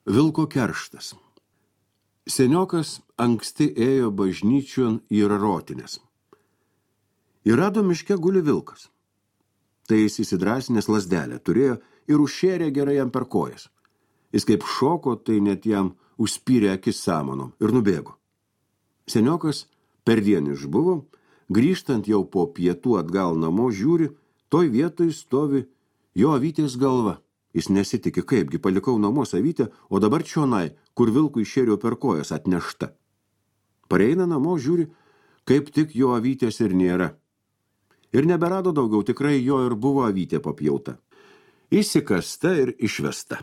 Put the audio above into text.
Vilko kerštas. Seniokas anksti ėjo bažnyčion į Rarotinės. Ir rado miške guli vilkas. Tai jis įsidrasinęs lazdelę turėjo ir užšėrė gerai jam per kojas. Jis kaip šoko, tai net jam užspyrė akis samanom ir nubėgo. Seniokas per dieną išbuvo, grįžtant jau po pietų atgal namo žiūri, toj vietoj stovi jo avytės galva. Jis nesitikė, kaipgi palikau namuos avytę, o dabar čionai, kur vilkui iššėriau per kojas atnešta. Pareina namo, žiūri, kaip tik jo avytės ir nėra. Ir neberado daugiau, tikrai jo ir buvo avytė papjauta. Įsikasta ir išvesta.